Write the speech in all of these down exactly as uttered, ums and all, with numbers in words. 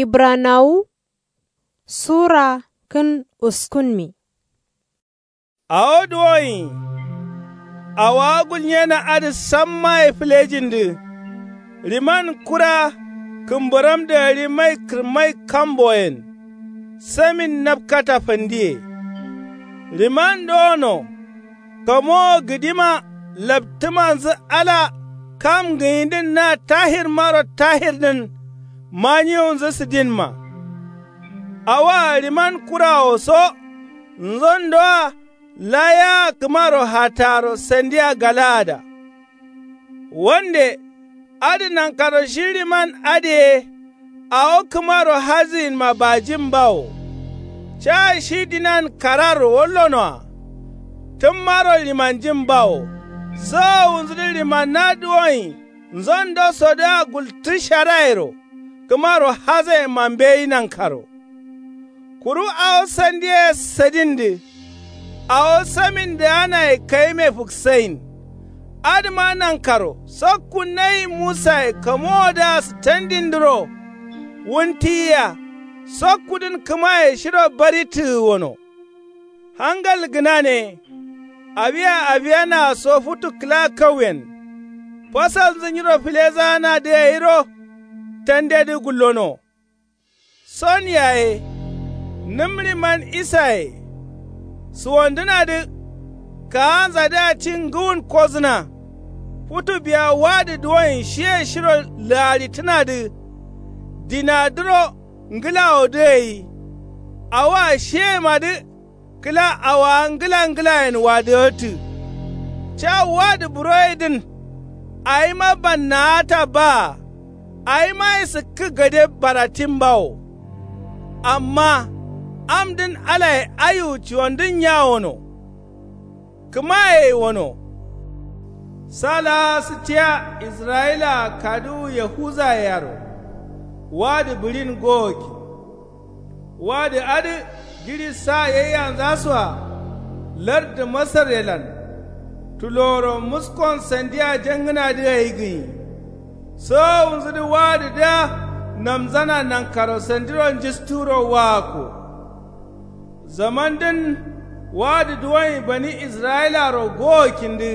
Ibranawu sura kǝn uskunmi. Awo duwoyin awowa gulnyena adǝ sammaye fǝlejindǝ. Riman kura kǝmbaramdǝ gǝri mai kǝrmai kamboyen. Samin napkata fandiye. Riman dowono kamowo gǝdima laptǝmanzǝ ala kam gǝnyidǝn na tahirmaro tahirdǝn. Maniwunzǝ sǝdinma awoa riman kurawo so nzondoa. Layia kǝmaro hataro sandia galaada. Wande adǝ nankaro shi riman adǝye awo kǝmaro hazǝyinma bajin bawo. Ca shi dinan kararro wallonoa. Tǝmmaro rimanjin bawo. Sowowunzǝdǝ rimanna duwoyin nzondosodǝa gultǝ sharayero kǝmaro hazayenma mbeyi nankaro. Kuru awo sandiye sadindǝ awo samindǝanaye kayime fǝksayin. Adǝma nankaro sokku nayi musaye kamowodǝa sǝtandindǝro. Wuntiyiya sokkudǝn kǝmaye shiro bari tǝgǝwono. Hangal gǝnane. Awiya awiyanaa so futu kǝla kauyen. Fasalnzǝ nyiro filezaanadǝ gairo tandedǝ gullono. Son yaye nǝm riman isaye. Suwandǝnadǝ kaanzadǝa ci ngǝwun kozǝna. Futu biya wadǝ duwoyin shiye shiro laaritǝnadǝ. Dinadǝro ngǝlawodǝ gai. Awoa shiyemadǝ kǝla awowa ngǝla ngǝlayen wadǝgǝtǝ. Ca wadǝ buroyedǝn awima bannaata baa. Awima ye sǝkkǝ gade baratin bawo. Amma amdǝn alaye aiwu ciwandǝn nyawono. Kǝmaye wono. Sa laa sǝtiya israyilaa kaduwu yahuzayearo. Wadǝ bǝɍin gowokki. Wadǝ adǝ jiɍi sa yaiyanzasoa. Lardǝ masaryelan tuloworo muskon sandia jangǝnadǝ gai gǝnyi. Sowowunzǝdǝ wadǝdǝa namzana nankaro sandiro njisturo waakko. Zamandǝn wadǝ duwoyin bani israyilaro gowokkindǝ.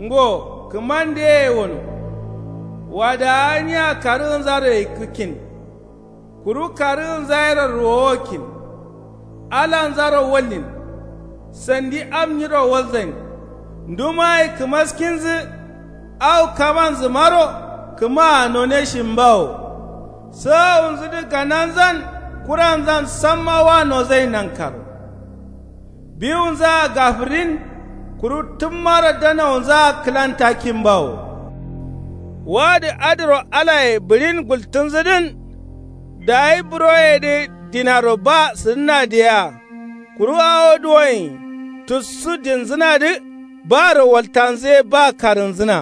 Ngo kǝmandeye wono. Wadǝa nya karǝgǝnzaro yikkǝkkin. Kuru karǝgǝnzayero ruwowokkin. Alanzaro wallin. Sandi am nyiro walzain. Ndumaye kǝmaskinzǝ. Au kamanzǝmaro kǝmaa noneshin bawo. Sowowunzǝdǝ gananzan kuranzan samma wa nozain nankaro. Biwunzaa gafǝrin. Kuru tǝmmaro danawunzaa kǝlantakkin bawo. Wadǝ adǝro alaye bǝɍin gultǝnzǝdǝn. Dayi buroyedǝ dinaro ba sǝdǝnadǝ yea. Kuru awo duwoyin tussu dinzǝnadǝ. Baro waltanzǝ ye ba karǝnzǝna.